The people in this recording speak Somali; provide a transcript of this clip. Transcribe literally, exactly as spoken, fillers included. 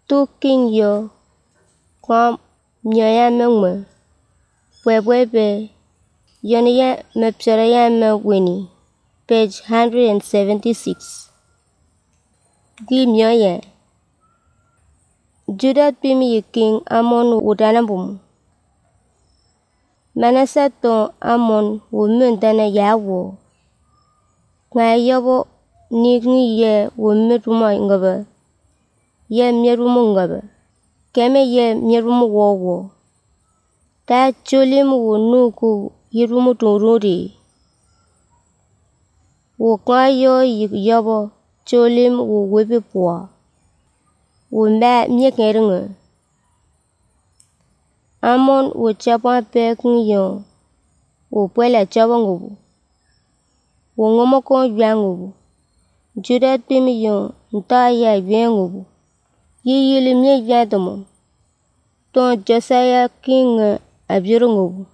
Tu king yo kwa mioya mengme pwepwepe yoni ya mepsora ya meweni. Page one hundred seventy-six. Gi mioya Judah pim yi king Amon wudanabum. Manasseh ton Amon wu mundana yawo. Nga yobo ni ye wu mirumo ngabe. Ye mirumo ngabe. Keme ye mirumo wowo. Ta cholim wu nuku yirumo tururi. Wu kwa yo yobo cholim wu wibi pwa. Wu mba miekeringa. Amon wu chapwa pe yon wu pwela chaba ngubu. Wu ngomoko ywa ngubu. Judah pim yon nta ya ywa ngubu. Yi yili mie ywa tomo. Ton Josiah king abiru ngubu.